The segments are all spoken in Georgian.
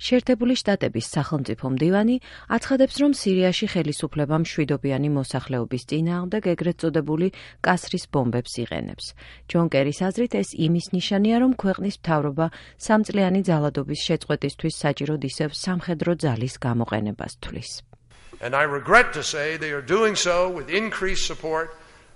შეერთებული შტატების სახელმწიფო მდივანი აცხადებს, რომ სირიაში ხელისუფლება მშვიდობიანი მოსახლეობის წინააღმდეგ ეგრეთ წოდებული კასრის ბომბებს იყენებს. ჯონ კერის აზრით, ეს იმის ნიშანია, რომ ქვეყნის მთავრობა სამწლიანი ძალადობის შეწყვეტისთვის საჭიროდ ისევ სამხედრო ძალის გამოყენებას თვლის. And I regret to say they are doing so with increased support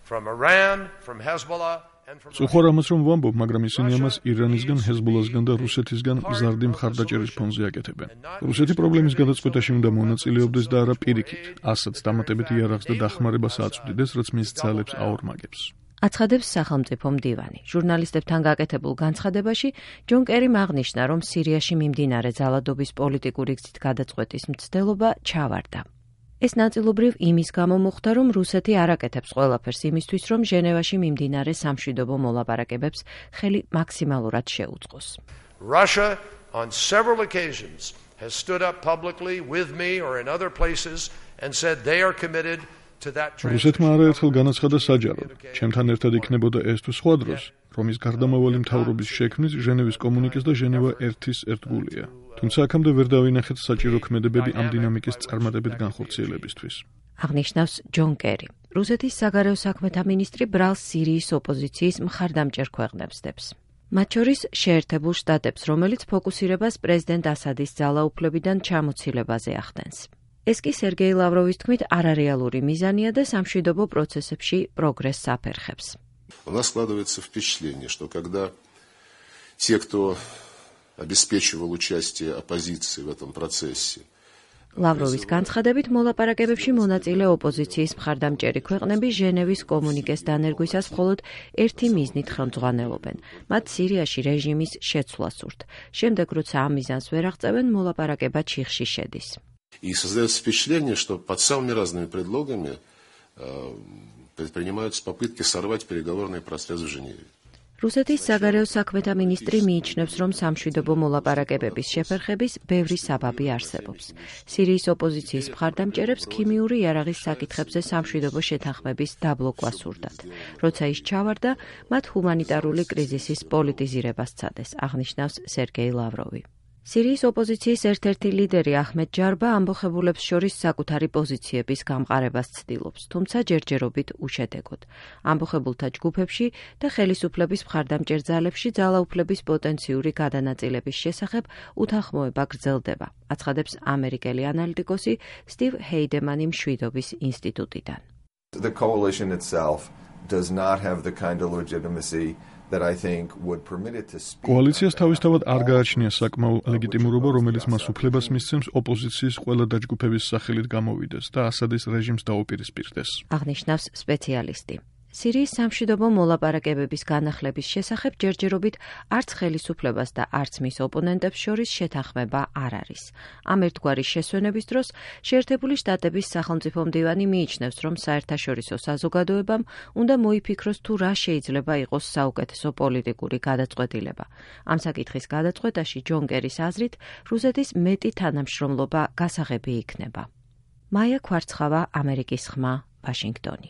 from Iran, from Hezbollah. Სუხარ ამას რომ ვამბობ, მაგრამ ისინი ამას ირანისგან, ჰეზბოლასგან და რუსეთისგან მზარდი მხარდაჭერის ფონზე აკეთებენ. რუსეთი პრობლემის გადაწყვეტაში უნდა მონაწილეობდეს და არა პირიქით, ასაც დამატებით იარაღს და დახმარებას აწვდიდეს, რაც მის ძალებს აორმაგებს. აცხადებს სახელმწიფო მდივანი. ჟურნალისტებთან გაკეთებულ განცხადებაში ჯონ კერიმ აღნიშნა, რომ სირიაში მიმდინარე ძალადობის პოლიტიკური გზით გადაწყვეტის მცდელობა ჩავარდა. ეს ნაწილობრივ იმის გამო მოხდა, რომ რუსეთი არ აკეთებს ყველაფერს იმისთვის, რომ ჟენევაში მიმდინარე სამშვიდობო მოლაპარაკებებს ხელი მაქსიმალურად შეუწყოს. Russia on several occasions has stood up publicly with me or in other places and said they are committed to that transition. რუსეთმა არაერთხელ განაცხადა საჯაროდ, ჩემთან ერთად იქნებოდა ეს თუ სხვა დროს, რომ ის გარდამავალი მთავრობის შექმნის ჟენევის კომუნიკეს და ჟენევა 1-ის ერთგულია. თუმცა აქამდე ვერ დავინახეთ საჭირო ქმედებები ამ დინამიკის წარმატებით განხორციელებისთვის. აღნიშნავს ჯონ კერი. რუსეთის საგარეო საქმეთა მინისტრი ბრალს სირიის ოპოზიციის მხარდამჭერ ქვეყნებს დებს. მათ შორის შეერთებულ შტატებს, რომელიც ფოკუსირებას პრეზიდენტ ასადის ძალაუფლებიდან ჩამოცილებაზე ახდენს. ეს კი სერგეი ლავროვის თქმით არარეალური მიზანია და სამშვიდობო პროცესებში პროგრესს აფერხებს. У нас складывается впечатление, что когда те, кто обеспечивал участие оппозиции в этом процессе, ლავროვის განცხადებით მოლაპარაკებებში მონაწილე ოპოზიციის მხარდამჭერი ქვეყნები ჟენევის კომუნიკეს დანერგვისას მხოლოდ ერთი მიზნით ხელმძღვანელობენ. მათ სირიაში რეჟიმის შეცვლა სურთ. შემდეგ, როცა ამ მიზანს ვერ აღწევენ, მოლაპარაკება ჩიხში შედის. И создается впечатление, что под самыми разными предлогами предпринимаются попытки сорвать переговорный процесс в Женеве. რუსეთის საგარეო საქმეთა მინისტრი მიიჩნევს, რომ სამშვიდობო მოლაპარაკებების შეფერხების ბევრი საბაბი არსებობს. სირიის ოპოზიციის მხარდამჭერებს ქიმიური იარაღის საკითხებზე სამშვიდობო შეთანხმების დაბლოკვა სურდათ. როცა ის ჩავარდა, მათ ჰუმანიტარული კრიზისის პოლიტიზირება სცადეს, აღნიშნავს სერგეი ლავროვი. სირიის ოპოზიციის ერთ-ერთი ლიდერი აჰმედ ჯარბა ამბოხებულებს შორის საკუთარი პოზიციების გამყარებას ცდილობს, თუმცა ჯერჯერობით უშედეგოდ. ამბოხებულთა ჯგუფებში და ხელისუფლების მხარდამჭერ ძალებში ძალაუფლების პოტენციური გადანაწილების შესახებ უთანხმოება გრძელდება, აცხადებს ამერიკელი ანალიტიკოსი სტივ ჰეიდემანი მშვიდობის ინსტიტუტიდან. The coalition itself does not have the kind of legitimacy that I think would permit it to speak. კოალიციას თავისთავად არ გააჩნია საკმაო ლეგიტიმურობა, რომელიც მას უფლებას მისცემს ოპოზიციის ყველა დაჯგუფების სახელით გამოვიდეს და ასადის რეჟიმს დაუპირისპირდეს. აღნიშნავს სპეციალისტი. სირიის სამშვიდობო მოლაპარაკებების განახლების შესახებ ჯერჯერობით არც ხელისუფლებას და არც მის ოპონენტებს შორის შეთანხმება არ არის. ამ ერთგვარი შესვენების დროს შეერთებული შტატების სახელმწიფო მდივანი მიიჩნევს, რომ საერთაშორისო საზოგადოებამ უნდა მოიფიქროს თუ რა შეიძლება იყოს საუკეთესო პოლიტიკური გადაწყვეტილება. ამ საკითხის გადაწყვეტაში ჯონ კერის აზრით რუსეთის მეტი თანამშრომლობა გასაღები იქნება. მაია ქვარცხავა, ამერიკის ხმა, ვაშინგტონი.